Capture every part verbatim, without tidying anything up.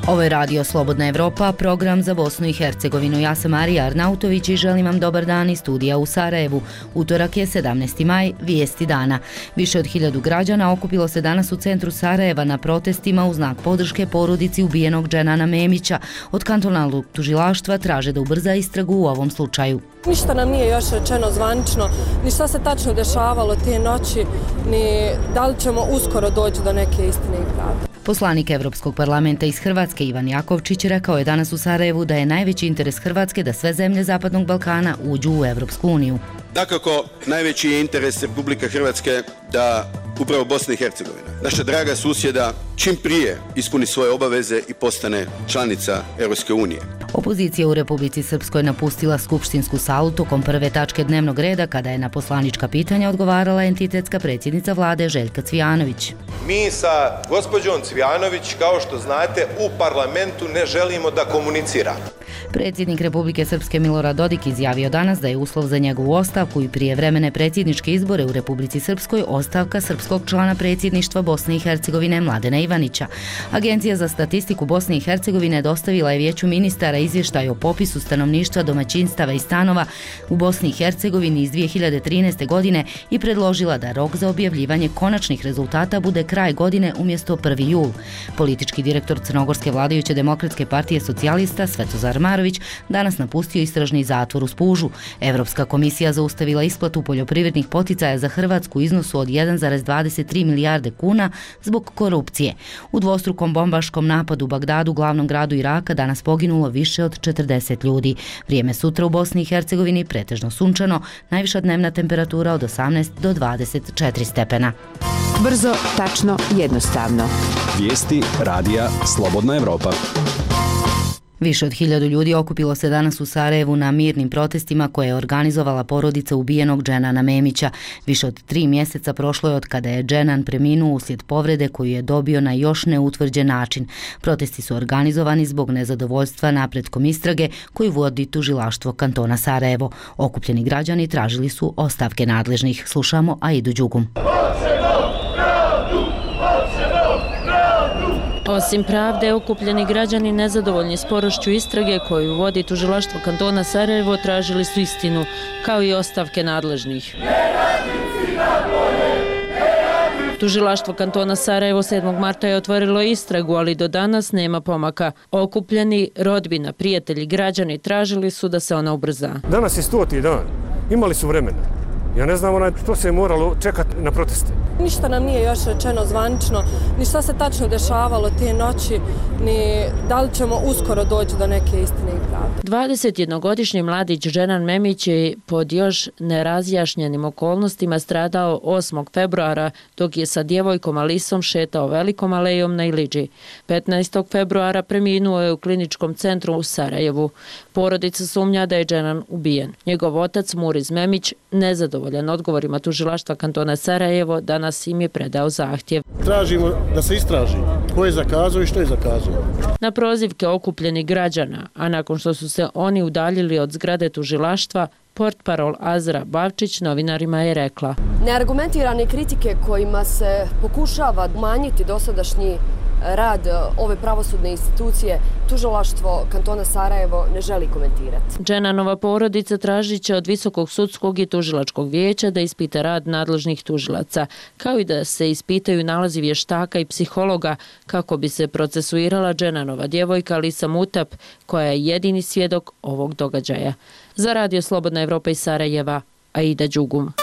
Ovo je Radio Slobodna Evropa, program za Bosnu i Hercegovinu. Ja sam Marija Arnautović i želim vam dobar dan iz studija u Sarajevu. Utorak je sedamnaesti maj, vijesti dana. Više od hiljadu građana okupilo se danas u centru Sarajeva na protestima u znak podrške porodici ubijenog Dženana Memića. Od kantonalnog tužilaštva traže da ubrza istragu u ovom slučaju. Ništa nam nije još rečeno zvanično, ni šta se tačno dešavalo te noći, ni da li ćemo uskoro doći do neke istine i pravde. Poslanik Evropskog parlamenta iz Hrvatske Ivan Jakovčić rekao je danas u Sarajevu da je najveći interes Hrvatske da sve zemlje Zapadnog Balkana uđu u Evropsku uniju. Dakako, najveći je interes Republike Hrvatske da upravo Bosna i Hercegovina, naša draga susjeda, čim prije ispuni svoje obaveze i postane članica Europske unije. Opozicija u Republici Srpskoj napustila skupštinsku salu tokom prve tačke dnevnog reda kada je na poslanička pitanja odgovarala entitetska predsjednica vlade Željka Cvijanović. Mi sa gospođom Cvijanović, kao što znate, u parlamentu ne želimo da komuniciramo. Predsjednik Republike Srpske Milorad Dodik izjavio danas da je uslov za njegovu ostavku i prijevremene predsjedničke izbore u Republici Srpskoj ostavka srpskog člana predsjedništva Bosne i Hercegovine Mladena Ivanića. Agencija za statistiku Bosne i Hercegovine dostavila je Vijeću ministara izvještaj o popisu stanovništva, domaćinstava i stanova u Bosni i Hercegovini iz dvije hiljade trinaeste. godine i predložila da rok za objavljivanje konačnih rezultata bude kraj godine umjesto prvi jul. Politički direktor crnogorske vladajuće demokratske partije socijalista Svetozar Marović danas napustio istražni zatvor u Spužu. Evropska komisija zaustavila isplatu poljoprivrednih poticaja za Hrvatsku u iznosu od jedan zarez dvadeset tri milijarde kuna zbog korupcije. U dvostrukom bombaškom napadu u Bagdadu, glavnom gradu Iraka, danas poginulo više od četrdeset ljudi. Vrijeme sutra u Bosni i Hercegovini pretežno sunčano, najviša dnevna temperatura od osamnaest do dvadeset četiri stepena. Brzo, tačno, jednostavno. Vijesti radija Slobodna Evropa. Više od hiljadu ljudi okupilo se danas u Sarajevu na mirnim protestima koje je organizovala porodica ubijenog Dženana Memića. Više od tri mjeseca prošlo je od kada je Dženan preminuo uslijed povrede koju je dobio na još neutvrđen način. Protesti su organizovani zbog nezadovoljstva napretkom istrage koju vodi tužilaštvo kantona Sarajevo. Okupljeni građani tražili su ostavke nadležnih. Slušamo Aidu Đugum. Osim pravde, okupljeni građani nezadovoljni sporošću istrage koju vodi tužilaštvo kantona Sarajevo tražili su istinu, kao i ostavke nadležnih. Tužilaštvo kantona Sarajevo sedmog marta je otvorilo istragu, ali do danas nema pomaka. Okupljeni, rodbina, prijatelji, građani tražili su da se ona ubrza. Danas je stoti dan. Imali su vremena. Ja ne znam onaj što se je moralo čekati na proteste. Ništa nam nije još rečeno zvanično, ni šta se tačno dešavalo te noći, ni da li ćemo uskoro doći do neke istine i pravde. dvadesetjednogodišnji mladić Dženan Memić je pod još nerazjašnjenim okolnostima stradao osmog februara dok je sa djevojkom Alisom šetao velikom alejom na Ilidži. petnaestog februara preminuo je u kliničkom centru u Sarajevu. Porodica sumnja da je Dženan ubijen. Njegov otac Muriz Memić, nezadovoljan odgovorima tužilaštva kantona Sarajevo, danas im je predao zahtjev. Tražimo da se istraži ko je zakazao i što je zakazao. Na prozivke okupljenih građana, a nakon što su se oni udaljili od zgrade tužilaštva, portparol Azra Bavčić novinarima je rekla: neargumentirane kritike kojima se pokušava umanjiti dosadašnji rad ove pravosudne institucije, tužilaštvo kantona Sarajevo ne želi komentirati. Dženanova porodica tražit će od Visokog sudskog i tužilačkog vijeća da ispita rad nadležnih tužilaca, kao i da se ispitaju nalazi vještaka i psihologa kako bi se procesuirala Dženanova djevojka Alisa Mutap, koja je jedini svjedok ovog događaja. Za Radio Slobodna Evropa iz Sarajeva, Aida Đugum.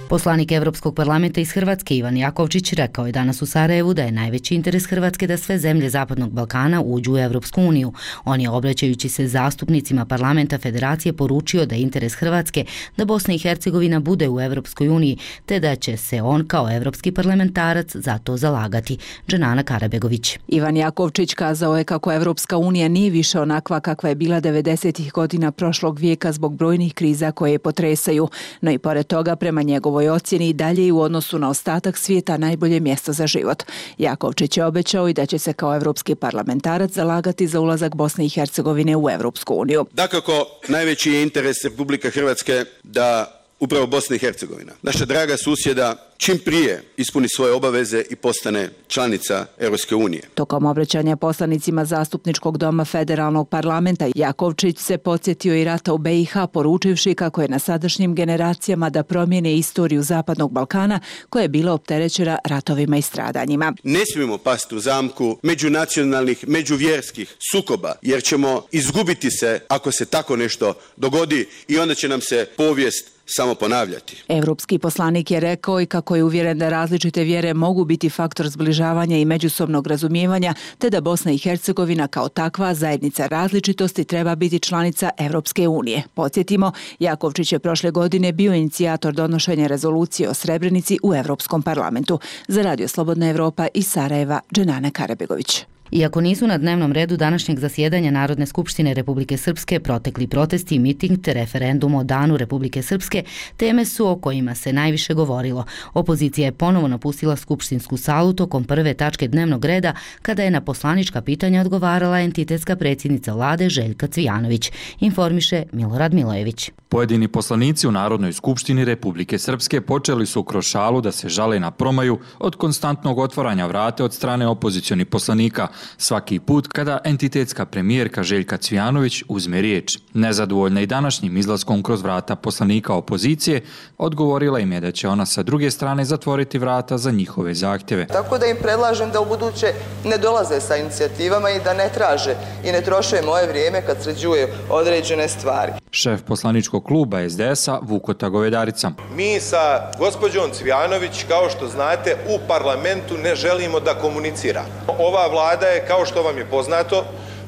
Poslanik Evropskog parlamenta iz Hrvatske Ivan Jakovčić rekao je danas u Sarajevu da je najveći interes Hrvatske da sve zemlje Zapadnog Balkana uđu u Evropsku uniju. On je, obraćajući se zastupnicima parlamenta Federacije, poručio da je interes Hrvatske da Bosna i Hercegovina bude u Evropskoj uniji, te da će se on kao evropski parlamentarac za to zalagati. Dženana Karabegović. Ivan Jakovčić kazao je kako Evropska unija nije više onakva kakva je bila devedesetih godina prošlog vijeka zbog brojnih kriza koje je potresaju, no i pored toga prema njegovoj ocjeni i dalje i u odnosu na ostatak svijeta najbolje mjesto za život. Jakovčić je obećao i da će se kao evropski parlamentarac zalagati za ulazak Bosne i Hercegovine u Evropsku uniju. Dakako, najveći je interes Republike Hrvatske da upravo Bosna i Hercegovina, naša draga susjeda, čim prije ispuni svoje obaveze i postane članica Europske unije. Tokom obraćanja poslanicima Zastupničkog doma Federalnog parlamenta, Jakovčić se podsjetio i rata u be i ha, poručivši kako je na sadašnjim generacijama da promijene istoriju Zapadnog Balkana, koja je bila opterećena ratovima i stradanjima. Ne smijemo pasti u zamku međunacionalnih, međuvjerskih sukoba, jer ćemo izgubiti se ako se tako nešto dogodi i onda će nam se povijest samo ponavljati. Evropski poslanik je rekao i kako je uvjeren da različite vjere mogu biti faktor zbližavanja i međusobnog razumijevanja, te da Bosna i Hercegovina kao takva zajednica različitosti treba biti članica Evropske unije. Podsjetimo, Jakovčić je prošle godine bio inicijator donošenja rezolucije o Srebrenici u Evropskom parlamentu. Za Radio Slobodna Evropa iz Sarajeva, Dženana Karabegović. Iako nisu na dnevnom redu današnjeg zasjedanja Narodne skupštine Republike Srpske protekli protesti, miting te referendum o danu Republike Srpske, teme su o kojima se najviše govorilo. Opozicija je ponovo napustila skupštinsku salu tokom prve tačke dnevnog reda kada je na poslanička pitanja odgovarala entitetska predsjednica vlade Željka Cvijanović, informiše Milorad Milojević. Pojedini poslanici u Narodnoj skupštini Republike Srpske počeli su kroz šalu da se žale na promaju od konstantnog otvaranja vrata od strane opozicionih poslanika, svaki put kada entitetska premijerka Željka Cvijanović uzme riječ. Nezadovoljna i današnjim izlaskom kroz vrata poslanika opozicije, odgovorila im je da će ona sa druge strane zatvoriti vrata za njihove zahtjeve. Tako da im predlažem da u buduće ne dolaze sa inicijativama i da ne traže i ne troše moje vrijeme kad sređuju određene stvari. Šef poslaničkog kluba es de es a Vukota Govedarica. Mi sa gospođom Cvijanović, kao što znate, u parlamentu ne želimo da komunicira. Ova vlada je, kao što vam je poznato,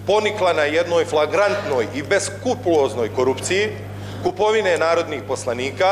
ponikla na jednoj flagrantnoj i beskrupuloznoj korupciji, kupovine narodnih poslanika.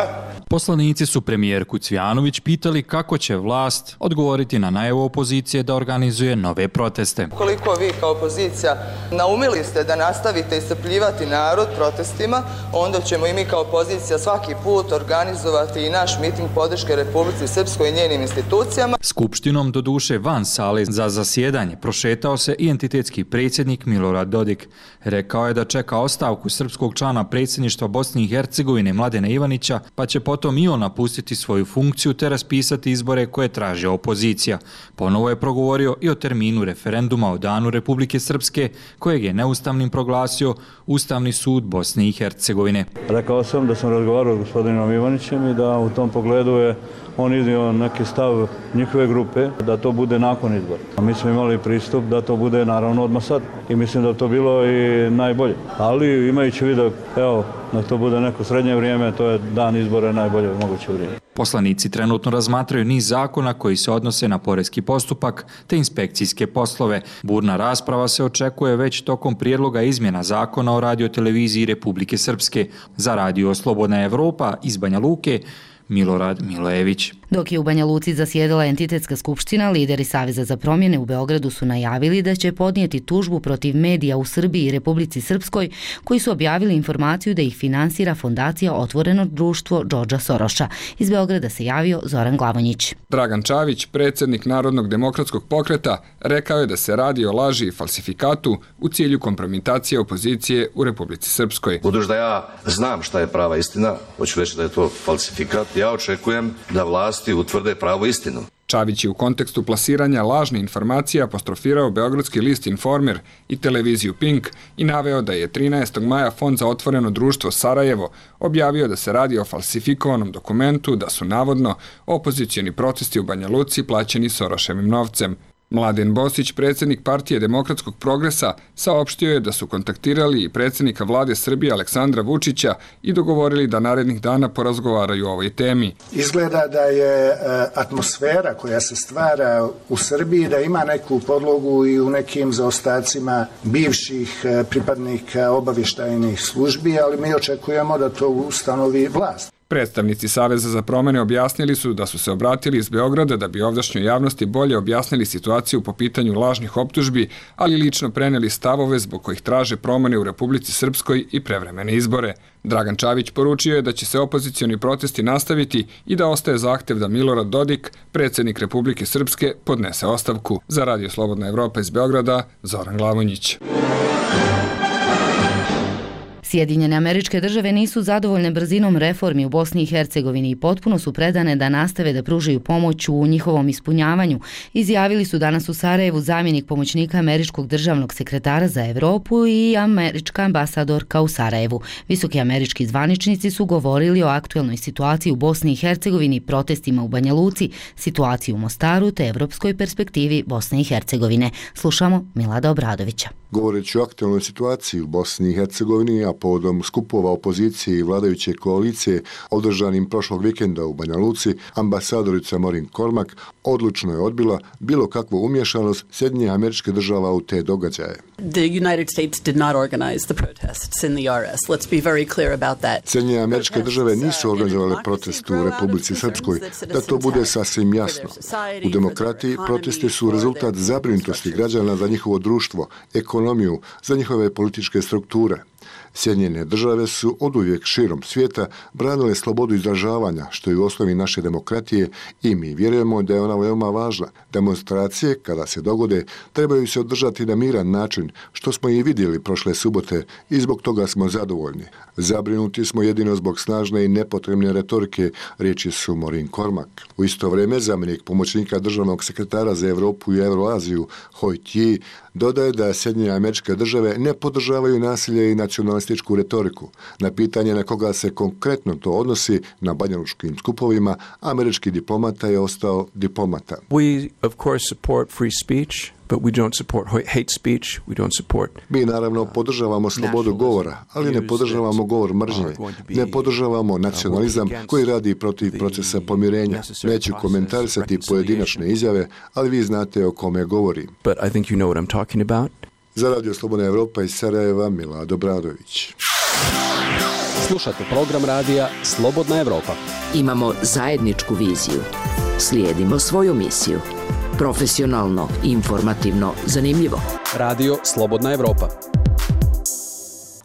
Poslanici su premijerku Cvijanović pitali kako će vlast odgovoriti na najavu opozicije da organizuje nove proteste. Koliko vi kao opozicija naumili ste da nastavite iscrpljivati narod protestima, onda ćemo i mi kao opozicija svaki put organizovati i naš miting podrške Republici Srpskoj i njenim institucijama. Skupštinom, doduše van sale za zasjedanje, prošetao se i entitetski predsjednik Milorad Dodik. Rekao je da čeka ostavku srpskog člana predsjedništva Bosne i Hercegovine Mladena Ivanića, pa će potom i on napustiti svoju funkciju te raspisati izbore koje traže opozicija. Ponovo je progovorio i o terminu referenduma o danu Republike Srpske, kojeg je neustavnim proglasio Ustavni sud Bosne i Hercegovine. Rekao sam da sam razgovarao s gospodinom Ivanićem i da u tom pogledu je on iznio neki stav njihove grupe da to bude nakon izbora. A mi smo imali pristup da to bude naravno odmah sad i mislim da to bilo i najbolje. Ali imajući vidio, evo, da to bude neko srednje vrijeme, to je dan izbora najbolje moguće vrijeme. Poslanici trenutno razmatraju niz zakona koji se odnose na poreski postupak te inspekcijske poslove. Burna rasprava se očekuje već tokom prijedloga izmjena zakona o radioteleviziji Republike Srpske. Za Radio Slobodna Evropa iz Banja Luke, Milorad Milojević. Dok je u Banja Luci zasjedala entitetska skupština, lideri Saveza za promjene u Beogradu su najavili da će podnijeti tužbu protiv medija u Srbiji i Republici Srpskoj koji su objavili informaciju da ih finansira fondacija Otvoreno društvo Džordža Soroša. Iz Beograda se javio Zoran Glavonjić. Dragan Čavić, predsjednik Narodnog demokratskog pokreta, rekao je da se radi o laži i falsifikatu u cilju kompromitacije opozicije u Republici Srpskoj. Budući da ja znam šta je prava istina, hoću reći da je to falsifikat, ja očekujem da vlast utvrde pravu istinu. Čavić je u kontekstu plasiranja lažne informacije apostrofirao beogradski list Informer i televiziju Pink i naveo da je trinaestog maja Fond za otvoreno društvo Sarajevo objavio da se radi o falsifikovanom dokumentu, da su navodno opozicioni protesti u Banja Luci plaćeni Soroševim novcem. Mladen Bosić, predsjednik Partije demokratskog progresa, saopštio je da su kontaktirali i predsjednika vlade Srbije Aleksandra Vučića i dogovorili da narednih dana porazgovaraju o ovoj temi. Izgleda da je atmosfera koja se stvara u Srbiji da ima neku podlogu i u nekim zaostacima bivših pripadnika obavještajnih službi, ali mi očekujemo da to ustanovi vlast. Predstavnici Saveza za promjene objasnili su da su se obratili iz Beograda da bi ovdašnjoj javnosti bolje objasnili situaciju po pitanju lažnih optužbi, ali lično preneli stavove zbog kojih traže promjene u Republici Srpskoj i prevremene izbore. Dragan Čavić poručio je da će se opozicioni protesti nastaviti i da ostaje zahtjev da Milorad Dodik, predsjednik Republike Srpske, podnese ostavku. Za Radio Slobodna Evropa iz Beograda, Zoran Glavonjić. Sjedinjene Američke Države nisu zadovoljne brzinom reformi u Bosni i Hercegovini i potpuno su predane da nastave da pružaju pomoć u njihovom ispunjavanju, izjavili su danas u Sarajevu zamjenik pomoćnika američkog državnog sekretara za Evropu i američka ambasadorka u Sarajevu. Visoki američki zvaničnici su govorili o aktuelnoj situaciji u Bosni i Hercegovini, protestima u Banja Luci, situaciji u Mostaru te evropskoj perspektivi Bosne i Hercegovine. Slušamo Milada Obradovića. Govoreći o aktualnoj situaciji u Bosni i Hercegovini, a povodom skupova opozicije i vladajuće koalicije održanim prošlog vikenda u Banja Luci, ambasadorica Maureen Cormack odlučno je odbila bilo kakvu umješanost Sjedinjenih Američkih Država u te događaje. The United States did not organize the protests in the R S. Let's be very clear about that. Sjedinjene Američke Države nisu organizovale protest u Republici Srpskoj, da to bude sasvim jasno. U demokratiji protesti su rezultat zabrinutosti građana za njihovo društvo, ekonomiju, za njihove političke strukture. Sjedinjene Države su oduvijek širom svijeta branile slobodu izražavanja, što je u osnovi naše demokratije, i mi vjerujemo da je ona veoma važna. Demonstracije, kada se dogode, trebaju se održati na miran način, što smo i vidjeli prošle subote, i zbog toga smo zadovoljni. Zabrinuti smo jedino zbog snažne i nepotrebne retorike, riječi su Maureen Cormack. U isto vrijeme zamjenik pomoćnika državnog sekretara za Evropu i Euroaziju Hoi Tji dodaje da Sjedinjene Američke Države ne podržavaju nasilje i nacionalističku retoriku. Na pitanje na koga se konkretno to odnosi, na banjalučkim skupovima, američki diplomata je ostao diplomata. We of course support free speech, but we don't support hate speech, we don't support. Mi naravno podržavamo slobodu govora, ali ne podržavamo govor mržnje. Ne podržavamo nacionalizam koji radi protiv procesa pomirenja. Neću komentarisati pojedinačne izjave, ali vi znate o kome govorim. But I think you know what I'm talking about. Za Radio Slobodna Evropa iz Sarajeva, Milad Obradović. Slušate program radija Slobodna Evropa. Imamo zajedničku viziju. Slijedimo svoju misiju. Profesionalno, informativno, zanimljivo. Radio Slobodna Evropa.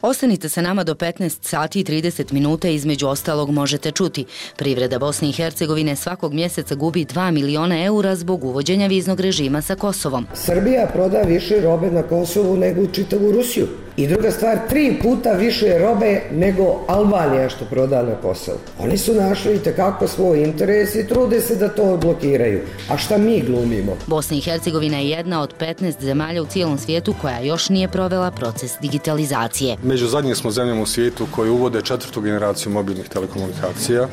Ostanite sa nama do petnaest sati i trideset minuta, između ostalog možete čuti. Privreda Bosne i Hercegovine svakog mjeseca gubi dva miliona eura zbog uvođenja viznog režima sa Kosovom. Srbija proda više robe na Kosovu nego u čitavu Rusiju. I druga stvar, tri puta više robe nego Albanija što proda na Kosovu. Oni su našli i tekako svoj interes i trude se da to odblokiraju. A šta mi glumimo? Bosna i Hercegovina je jedna od petnaest zemalja u cijelom svijetu koja još nije provela proces digitalizacije. Među zadnjim smo zemljama u svijetu koji uvode četvrtu generaciju mobilnih telekomunikacija.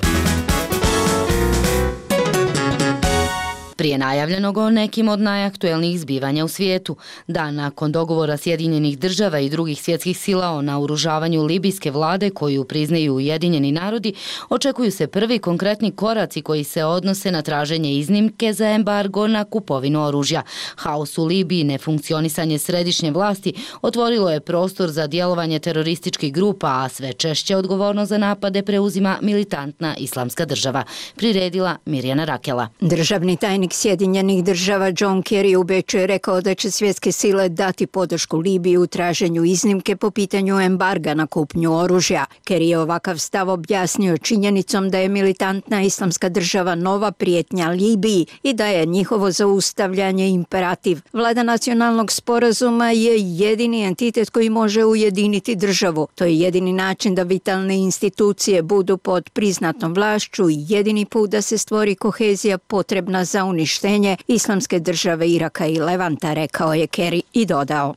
Prije najavljenog o nekim od najaktuelnijih zbivanja u svijetu, da nakon dogovora Sjedinjenih Država i drugih svjetskih sila o naoružavanju libijske vlade koju priznaju Ujedinjeni narodi, očekuju se prvi konkretni koraci koji se odnose na traženje iznimke za embargo na kupovinu oružja. Haos u Libiji, nefunkcionisanje središnje vlasti otvorilo je prostor za djelovanje terorističkih grupa, a sve češće odgovornost za napade preuzima militantna islamska država. Priredila Mirjana Rakela. Državni tajnik Sjedinjenih Država John Kerry u Beču je rekao da će svjetske sile dati podršku Libiji u traženju iznimke po pitanju embarga na kupnju oružja. Kerry je ovakav stav objasnio činjenicom da je militantna islamska država nova prijetnja Libiji i da je njihovo zaustavljanje imperativ. Vlada nacionalnog sporazuma je jedini entitet koji može ujediniti državu. To je jedini način da vitalne institucije budu pod priznatom vlašću i jedini put da se stvori kohezija potrebna za uništenje islamske države Iraka i Levanta, rekao je Kerry i dodao.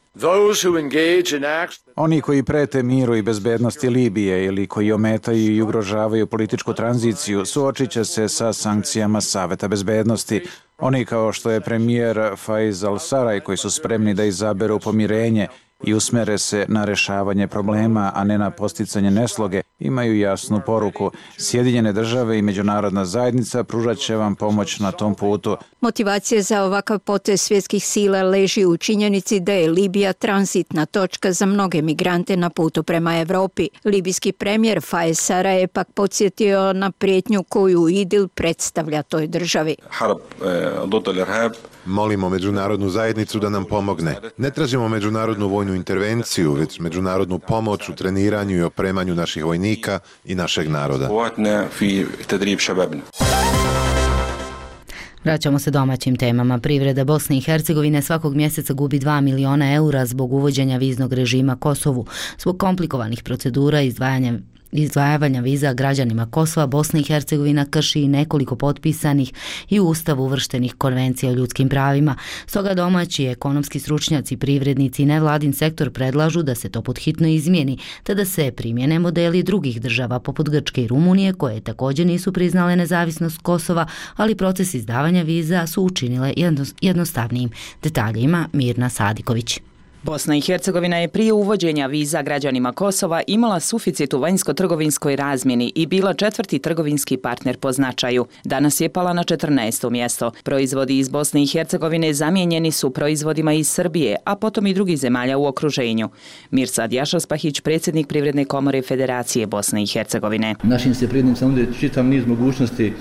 Oni koji prete miru i bezbednosti Libije ili koji ometaju i ugrožavaju političku tranziciju suočit će se sa sankcijama Saveta bezbednosti. Oni kao što je premijer Faiz al-Saraj koji su spremni da izaberu pomirenje i usmere se na rešavanje problema, a ne na posticanje nesloge, imaju jasnu poruku. Sjedinjene države i međunarodna zajednica pružat će vam pomoć na tom putu. Motivacija za ovakav potez svjetskih sila leži u činjenici da je Libija tranzitna točka za mnoge migrante na putu prema Evropi. Libijski premijer Faiz Saraj je pak podsjetio na prijetnju koju IDIL predstavlja toj državi. Molimo međunarodnu zajednicu da nam pomogne. Ne tražimo međunarodnu vojnu intervenciju, već međunarodnu pomoć u treniranju i opremanju naših vojnika i našeg naroda. Vraćamo se domaćim temama. Privreda Bosne i Hercegovine svakog mjeseca gubi dva miliona eura zbog uvođenja viznog režima Kosovu. Zbog komplikovanih procedura izdvajanja izdvajavanja viza građanima Kosova, Bosna i Hercegovina krši i nekoliko potpisanih i u Ustavu uvrštenih konvencija o ljudskim pravima. Stoga domaći ekonomski stručnjaci, privrednici i nevladin sektor predlažu da se to podhitno izmijeni, te da se primjene modeli drugih država poput Grčke i Rumunije, koje također nisu priznale nezavisnost Kosova, ali proces izdavanja viza su učinile jednostavnijim. Detalje ima Mirna Sadiković. Bosna i Hercegovina je prije uvođenja viza građanima Kosova imala suficit u vanjsko-trgovinskoj razmjeni i bila četvrti trgovinski partner po značaju. Danas je pala na četrnaesto mjesto. Proizvodi iz Bosne i Hercegovine zamijenjeni su proizvodima iz Srbije, a potom i drugih zemalja u okruženju. Mirsad Jašaspahić, predsjednik Privredne komore Federacije Bosne i Hercegovine. Našim se privrednicima nude čitav niz mogućnosti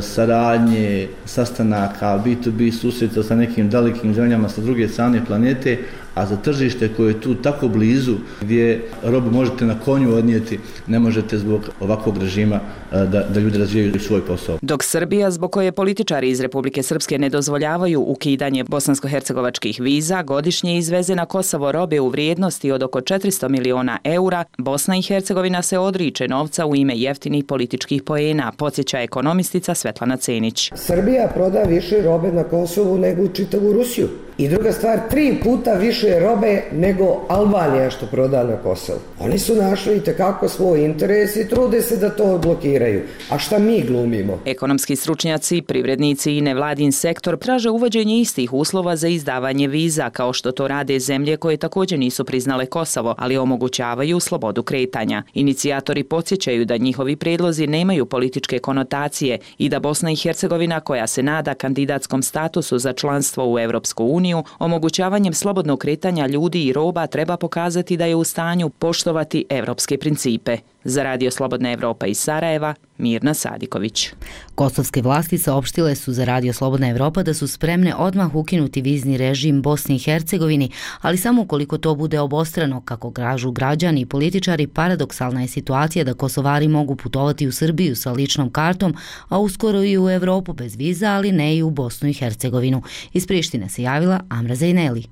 saradnje, sastanaka, B to B susreta sa nekim dalekim zemljama sa druge strane planete, a za tržište koje je tu tako blizu, gdje robu možete na konju odnijeti, ne možete zbog ovakvog režima da, da ljudi razvijaju svoj posao. Dok Srbija, zbog koje političari iz Republike Srpske ne dozvoljavaju ukidanje bosansko-hercegovačkih viza, godišnje izveze na Kosovo robe u vrijednosti od oko četiristo miliona eura, Bosna i Hercegovina se odriče novca u ime jeftinih političkih poena, podsjeća ekonomistica Svetlana Cenić. Srbija proda više robe na Kosovu nego u čitavu Rusiju. I druga stvar, tri puta više robe nego Albanija što proda na Kosovu. Oni su našli i tekako svoj interes i trude se da to odblokiraju. A šta mi glumimo? Ekonomski stručnjaci, privrednici i nevladin sektor traže uvođenje istih uslova za izdavanje viza, kao što to rade zemlje koje također nisu priznale Kosovo, ali omogućavaju slobodu kretanja. Inicijatori podsjećaju da njihovi predlozi nemaju političke konotacije i da Bosna i Hercegovina, koja se nada kandidatskom statusu za članstvo u Europsku uniju, omogućavanjem slobodnog kretanja ljudi i roba treba pokazati da je u stanju poštovati evropske principe. Za Radio Slobodna Evropa iz Sarajeva, Mirna Sadiković. Kosovske vlasti saopštile su za Radio Slobodna Evropa da su spremne odmah ukinuti vizni režim Bosni i Hercegovini, ali samo ukoliko to bude obostrano, kako kažu građani i političari. Paradoksalna je situacija da Kosovari mogu putovati u Srbiju sa ličnom kartom, a uskoro i u Evropu bez viza, ali ne i u Bosnu i Hercegovinu. Iz Prištine se javila Amra Zejneli.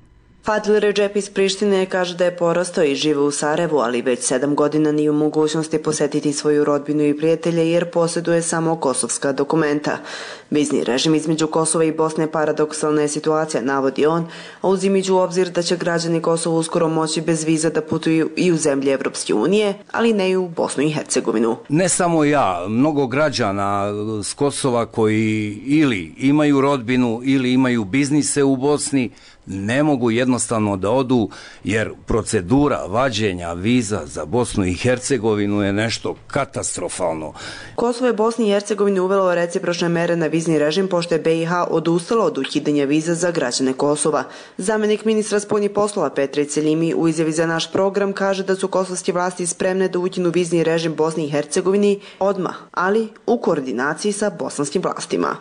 Fadil Redžep iz Prištine kaže da je porastao i žive u Sarajevu, ali već sedam godina nije u mogućnosti posjetiti svoju rodbinu i prijatelje jer posjeduje samo kosovska dokumenta. Vizni režim između Kosova i Bosne paradoksalna je situacija, navodi on, a uzimajući u obzir da će građani Kosova uskoro moći bez viza da putuju i u zemlje Evropske unije, ali ne i u Bosnu i Hercegovinu. Ne samo ja, mnogo građana s Kosova koji ili imaju rodbinu ili imaju biznise u Bosni, ne mogu jednostavno da odu jer procedura vađenja viza za Bosnu i Hercegovinu je nešto katastrofalno. Kosovo je Bosni i Hercegovini uvelo recipročne mere na vizni režim pošto je be i ha odustala od ukidanja viza za građane Kosova. Zamenik ministra spoljnih poslova Petre Celjimi u izjavi za naš program kaže da su kosovske vlasti spremne da ukinu vizni režim Bosni i Hercegovini odmah, ali u koordinaciji sa bosanskim vlastima.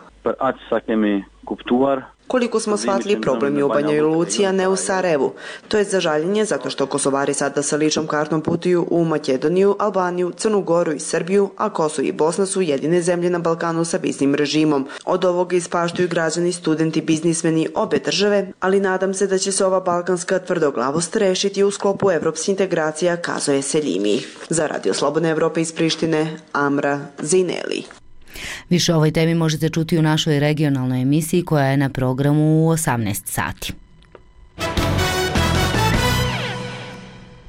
Koliko smo shvatili, problem je u Banjoj Luci, a ne u Sarajevu. To je za žaljenje zato što Kosovari sada sa ličnom kartom putuju u Makedoniju, Albaniju, Crnu Goru i Srbiju, a Kosovo i Bosna su jedine zemlje na Balkanu sa viznim režimom. Od ovoga ispaštuju građani, studenti, biznismeni obe države, ali nadam se da će se ova balkanska tvrdoglavost rešiti u sklopu evropskih integracija, kazuje Seljimi. Za Radio Slobodne Evrope iz Prištine, Amra Zejneli. Više o ovoj temi možete čuti u našoj regionalnoj emisiji koja je na programu u osamnaest sati.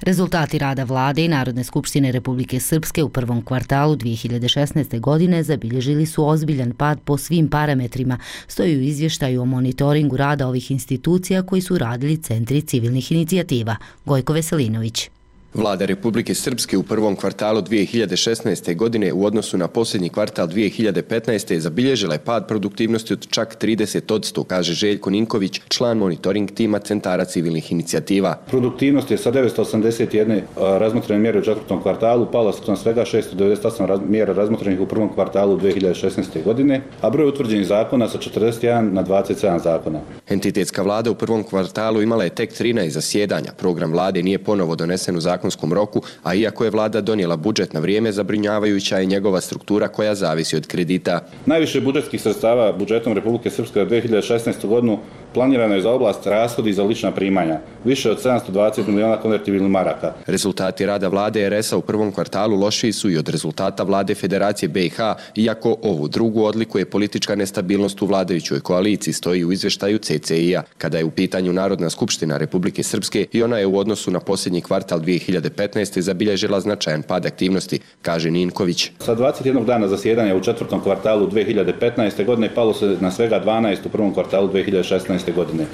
Rezultati rada vlade i Narodne skupštine Republike Srpske u prvom kvartalu dvije hiljade šesnaeste. godine zabilježili su ozbiljan pad po svim parametrima, stoji u izvještaju o monitoringu rada ovih institucija koji su radili centri civilnih inicijativa. Gojko Veselinović. Vlada Republike Srpske u prvom kvartalu dvije hiljade šesnaeste. godine u odnosu na posljednji kvartal dvije hiljade petnaeste. zabilježila je pad produktivnosti od čak trideset posto, kaže Željko Ninković, član monitoring tima centara civilnih inicijativa. Produktivnost je sa devetsto osamdeset jedne razmotrene mjere u četvrtom kvartalu pala na svega šesto devedeset osam mjera razmotrenih u prvom kvartalu dvije hiljade šesnaeste. godine, a broj utvrđenih zakona sa četrdeset jedan na dvadeset sedam zakona. Entitetska vlada u prvom kvartalu imala je tek trinaest zasjedanja. Program vlade nije ponovo donesen u zakonu zakonskom roku, a iako je vlada donijela budžet na vrijeme, zabrinjavajuća je njegova struktura koja zavisi od kredita. Najviše budžetskih sredstava budžetom Republike Srpske za dvije hiljade šesnaestu. godinu planirano je za oblast rashodi za lična primanja, više od sedamsto dvadeset miliona konvertibilnih maraka. Rezultati rada vlade er es a u prvom kvartalu lošiji su i od rezultata vlade Federacije be i ha, iako ovu drugu odlikuje politička nestabilnost u vladajućoj koaliciji, stoji u izveštaju ce ce i a. Kada je u pitanju Narodna skupština Republike Srpske, i ona je u odnosu na posljednji kvartal dvije hiljade petnaeste. zabilježila značajan pad aktivnosti, kaže Ninković. Sa dvadeset jednog dana zasjedanja u četvrtom kvartalu dvije hiljade petnaeste. godine palo se na svega dvanaest u prvom kvartalu dvije hiljade šesnaeste. godine.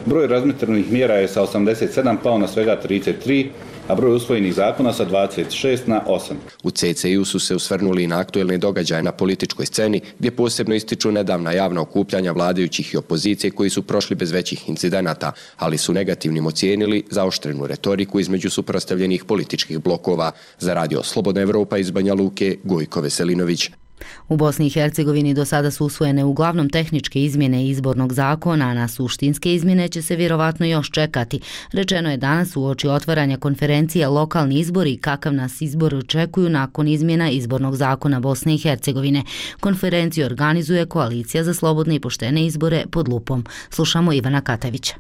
Broj razmatranih mjera je sa osamdeset sedam pao na svega trideset tri, a broj usvojenih zakona sa dvadeset šest na osam. U ce ce i u su se usvrnuli i na aktuelne događaje na političkoj sceni, gdje posebno ističu nedavna javna okupljanja vladajućih i opozicije koji su prošli bez većih incidenata, ali su negativnim ocijenili zaoštrenu retoriku između suprotstavljenih političkih blokova. Za Radio Slobodna Evropa iz Banja Luke, Gojko Veselinović. U Bosni i Hercegovini do sada su usvojene uglavnom tehničke izmjene izbornog zakona, a na suštinske izmjene će se vjerovatno još čekati. Rečeno je danas uoči otvaranja konferencije Lokalni izbori i kakav nas izbor očekuju nakon izmjena izbornog zakona Bosne i Hercegovine. Konferenciju organizuje Koalicija za slobodne i poštene izbore pod lupom. Slušamo Ivana Katavića.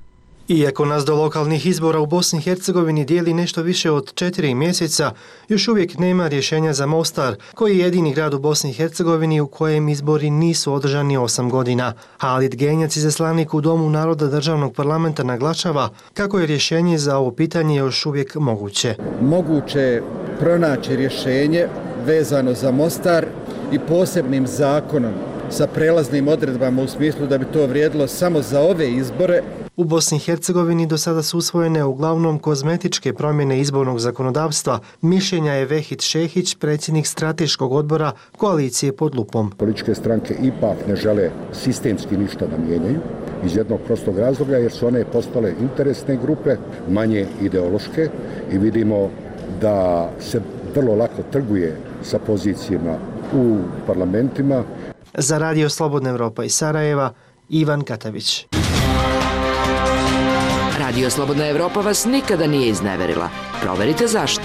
Iako nas do lokalnih izbora u Bosni i Hercegovini dijeli nešto više od četiri mjeseca, još uvijek nema rješenja za Mostar, koji je jedini grad u Bosni i Hercegovini u kojem izbori nisu održani osam godina. Halid Genjac, izaslanik u Domu naroda državnog parlamenta, naglašava kako je rješenje za ovo pitanje još uvijek moguće. Moguće je pronaći rješenje vezano za Mostar i posebnim zakonom sa prelaznim odredbama u smislu da bi to vrijedilo samo za ove izbore. U Bosni i Hercegovini do sada su usvojene uglavnom kozmetičke promjene izbornog zakonodavstva. Mišljenja je Vehid Šehić, predsjednik strateškog odbora Koalicije pod lupom. Političke stranke ipak ne žele sistemski ništa da mijenjaju iz jednog prostog razloga jer su one postale interesne grupe, manje ideološke i vidimo da se vrlo lako trguje sa pozicijama u parlamentima. Za Radio Slobodna Evropa iz Sarajeva, Ivan Katavić. Radio Slobodna Evropa vas nikada nije izneverila. Proverite zašto.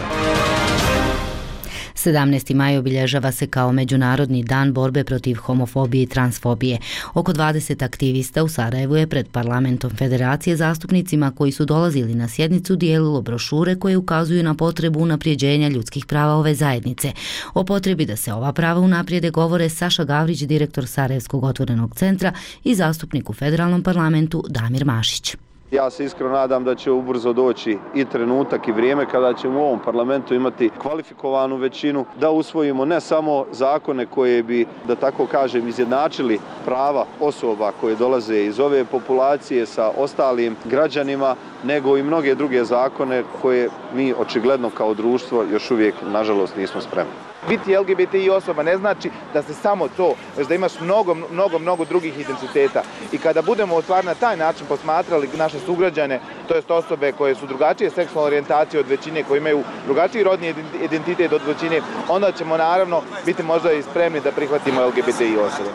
sedamnaesti maj obilježava se kao Međunarodni dan borbe protiv homofobije i transfobije. Oko dvadeset aktivista u Sarajevu je pred parlamentom Federacije zastupnicima koji su dolazili na sjednicu dijelilo brošure koje ukazuju na potrebu unaprijeđenja ljudskih prava ove zajednice. O potrebi da se ova prava unaprijede govore Saša Gavrić, direktor Sarajevskog otvorenog centra, i zastupnik u federalnom parlamentu Damir Mašić. Ja se iskreno nadam da će ubrzo doći i trenutak i vrijeme kada ćemo u ovom parlamentu imati kvalifikovanu većinu da usvojimo ne samo zakone koje bi, da tako kažem, izjednačili prava osoba koje dolaze iz ove populacije sa ostalim građanima, nego i mnoge druge zakone koje mi očigledno kao društvo još uvijek, nažalost, nismo spremni. Biti el ge be te i osoba ne znači da se samo to, već da imaš mnogo, mnogo, mnogo drugih identiteta. I kada budemo stvar na taj način posmatrali naše sugrađane, to jest osobe koje su drugačije seksualne orijentacije od većine, koje imaju drugačiji rodni identitet od većine, onda ćemo naravno biti možda i spremni da prihvatimo el ge be te i osobe.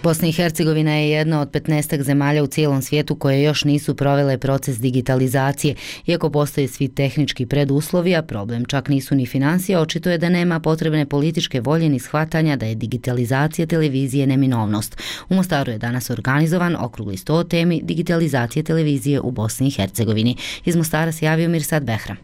Bosna i Hercegovina je jedna od petnaestak zemalja u cijelom svijetu koje još nisu provele proces digitalizacije. Iako postoje svi tehnički preduslovi, a problem čak nisu ni financije, očito je da nema potrebne političke volje ni shvatanja da je digitalizacija televizije neminovnost. U Mostaru je danas organizovan okrugli sto o temi digitalizacije televizije u Bosni i Hercegovini. Iz Mostara se javio Mirsad Behram.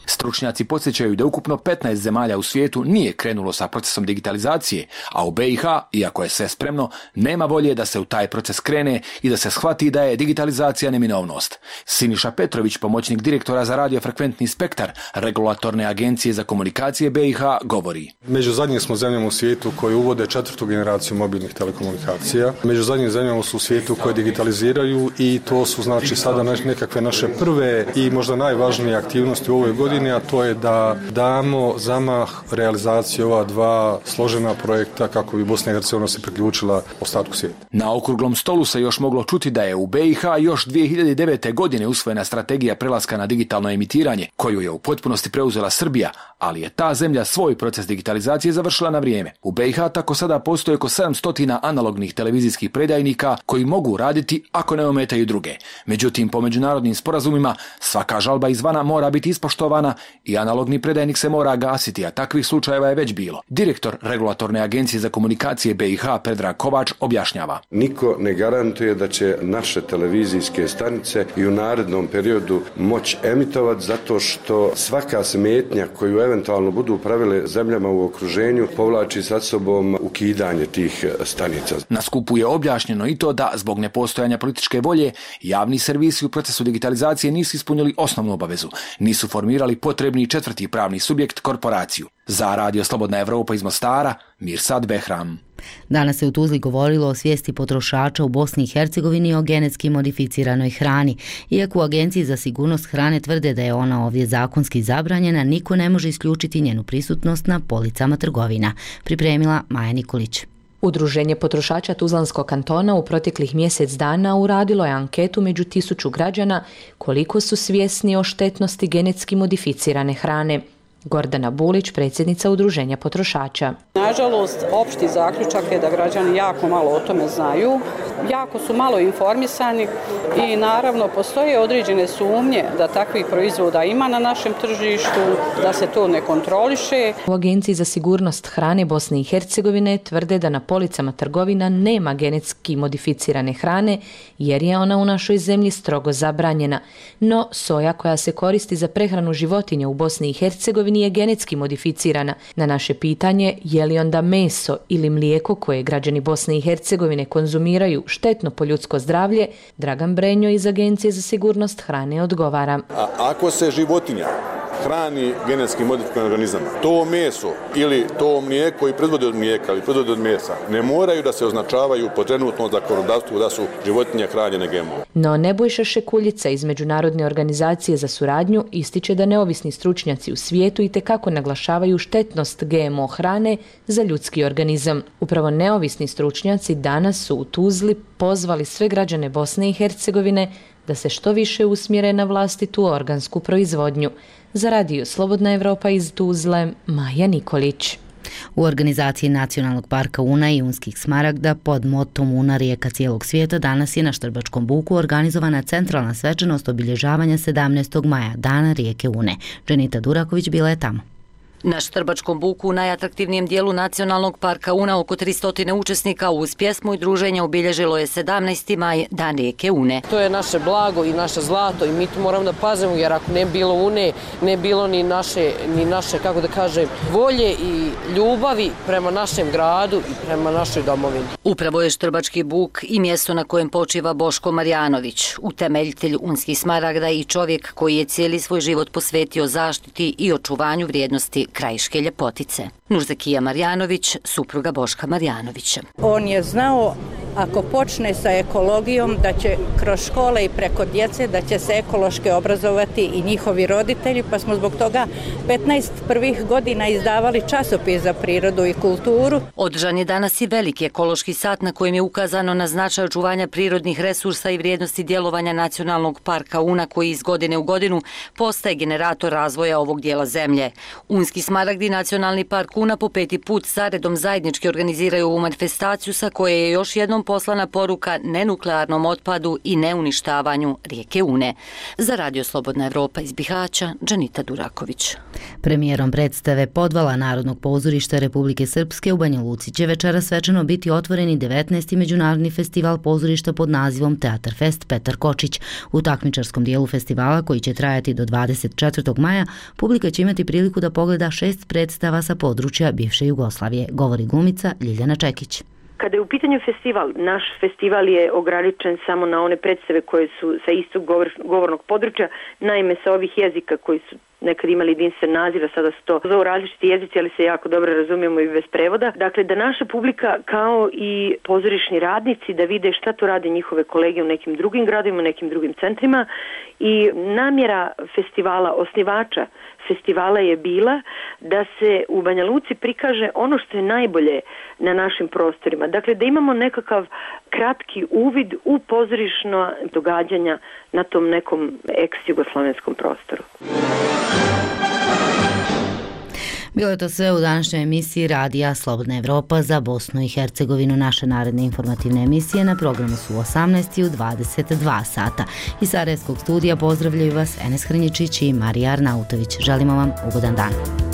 Stručnjaci podsjećaju da ukupno petnaest zemalja u svijetu nije krenulo sa procesom digitalizacije, a u be i ha, iako je sve spremno, nema volje da se u taj proces krene i da se shvati da je digitalizacija neminovnost. Siniša Petrović, pomoćnik direktora za radiofrekventni spektar Regulatorne agencije za komunikacije be i ha, govori. Među zadnjim smo zemljama u svijetu koji uvode četvrtu generaciju mobilnih telekomunikacija. Među zadnjim zemljama su u svijetu koje digitaliziraju i to su znači sada nekakve naše prve i možda najvažnije aktivnosti u ovoj godini, godini, a to je da damo zamah realizaciji ova dva složena projekta kako bi Bosna i Hercegovina se priključila ostatku svijeta. Na okruglom stolu se još moglo čuti da je u B i H još dvije hiljade devete. godine usvojena strategija prelaska na digitalno emitiranje, koju je u potpunosti preuzela Srbija, ali je ta zemlja svoj proces digitalizacije završila na vrijeme. U B i H tako sada postoje oko sedamsto analognih televizijskih predajnika koji mogu raditi ako ne ometaju druge. Međutim, po međunarodnim sporazumima svaka žalba izvana mora biti ispoštovana i analogni predajnik se mora gasiti, a takvih slučajeva je već bilo. Direktor Regulatorne agencije za komunikacije B i H Predrag Kovač objašnjava. Niko ne garantuje da će naše televizijske stanice i u narednom periodu moći emitovati zato što svaka smetnja koju eventualno budu pravile zemljama u okruženju povlači sa sobom ukidanje tih stanica. Na skupu je objašnjeno i to da zbog nepostojanja političke volje javni servisi u procesu digitalizacije nisu ispunili osnovnu obavezu, nisu formirali potrebni četvrti pravni subjekt, korporaciju. Za Radio Slobodna Evropa iz Mostara, Mirsad Behram. Danas se u Tuzli govorilo o svijesti potrošača u Bosni i Hercegovini o genetski modificiranoj hrani. Iako u Agenciji za sigurnost hrane tvrde da je ona ovdje zakonski zabranjena, niko ne može isključiti njenu prisutnost na policama trgovina. Pripremila Maja Nikolić. Udruženje potrošača Tuzlanskog kantona u proteklih mjesec dana uradilo je anketu među tisuću građana koliko su svjesni o štetnosti genetski modificirane hrane. Gordana Bulić, predsjednica Udruženja potrošača. Nažalost, opšti zaključak je da građani jako malo o tome znaju, jako su malo informisani i naravno postoje određene sumnje da takvih proizvoda ima na našem tržištu, da se to ne kontroliše. U Agenciji za sigurnost hrane Bosne i Hercegovine tvrde da na policama trgovina nema genetski modificirane hrane jer je ona u našoj zemlji strogo zabranjena. No, soja koja se koristi za prehranu životinja u Bosni i Hercegovini nije genetski modificirana. Na naše pitanje je li onda meso ili mlijeko koje građani Bosne i Hercegovine konzumiraju štetno po ljudsko zdravlje, Dragan Brenjo iz Agencije za sigurnost hrane odgovara. A ako se životinja hrani genetski modifikovanim organizama, to meso ili to mlijeko koji proizvode od mlijeka ili proizvode od mesa ne moraju da se označavaju po trenutnom zakonodavstvu da su životinje hranjene G M O. No Nebojša Šekuljica iz Međunarodne organizacije za suradnju ističe da neovisni stručnjaci u svijetu itekako naglašavaju štetnost G M O hrane za ljudski organizam. Upravo neovisni stručnjaci danas su u Tuzli pozvali sve građane Bosne i Hercegovine da se što više usmjere na vlastitu organsku proizvodnju. Za Radio Slobodna Evropa iz Tuzle, Maja Nikolić. U organizaciji Nacionalnog parka Una i Unskih smaragda pod motom Una rijeka cijelog svijeta danas je na Štrbačkom buku organizovana centralna svečanost obilježavanja sedamnaestog maja, Dana rijeke Une. Dženita Duraković bila je tamo. Na Štrbačkom buku u najatraktivnijem dijelu Nacionalnog parka Una oko tristo učesnika uz pjesmu i druženje obilježilo je sedamnaesti maj, Dan rijeke Une. To je naše blago i naše zlato i mi tu moramo da pazimo jer ako ne bilo Une, ne bilo ni naše, ni naše, kako da kažem, volje i ljubavi prema našem gradu i prema našoj domovini. Upravo je Štrbački buk i mjesto na kojem počiva Boško Marjanović, utemeljitelj Unskih smaragda i čovjek koji je cijeli svoj život posvetio zaštiti i očuvanju vrijednosti krajiške ljepotice. Nurzekija Marjanović, supruga Boška Marjanovića. On je znao ako počne sa ekologijom da će kroz škole i preko djece da će se ekološki obrazovati i njihovi roditelji, pa smo zbog toga petnaest prvih godina izdavali časopis za prirodu i kulturu. Održan je danas i veliki ekološki sat na kojem je ukazano na značaj očuvanja prirodnih resursa i vrijednosti djelovanja Nacionalnog parka Una koji iz godine u godinu postaje generator razvoja ovog dijela zemlje. Unski smaragdi i Nacionalni park Una po peti put zaredom zajednički organiziraju ovu manifestaciju sa koje je još jednom poslana poruka nenuklearnom otpadu i neuništavanju rijeke Une. Za Radio Slobodna Evropa iz Bihaća, Dženita Duraković. Premijerom predstave Podvala Narodnog pozorišta Republike Srpske u Banja Luci će večera svečano biti otvoreni devetnaesti međunarodni festival pozorišta pod nazivom Teatar Fest Petar Kočić. U takmičarskom dijelu festivala, koji će trajati do dvadeset četvrtog maja, publika će imati priliku da pogleda šest predstava sa područja bivše Jugoslavije, govori glumica Ljiljana Čekić. Kada je u pitanju festival, naš festival je ograničen samo na one predstave koje su sa istog govor, govornog područja, naime sa ovih jezika koji su nekad imali jedinstven naziv, a sada su to zovu različiti jezici, ali se jako dobro razumijemo i bez prevoda. Dakle, da naša publika kao i pozorišni radnici da vide šta to rade njihove kolege u nekim drugim gradovima, u nekim drugim centrima i namjera festivala, osnivača festivala je bila da se u Banja Luci prikaže ono što je najbolje na našim prostorima. Dakle, da imamo nekakav kratki uvid u pozorišno događanja na tom nekom ex-jugoslovenskom prostoru. Bilo je to sve u današnjoj emisiji Radija Slobodna Evropa za Bosnu i Hercegovinu. Naše naredne informativne emisije na programu su u osamnaest i u dvadeset dva sata. Iz Sarajevskog studija pozdravljaju vas Enes Hrnjičić i Marija Arnautović. Želimo vam ugodan dan.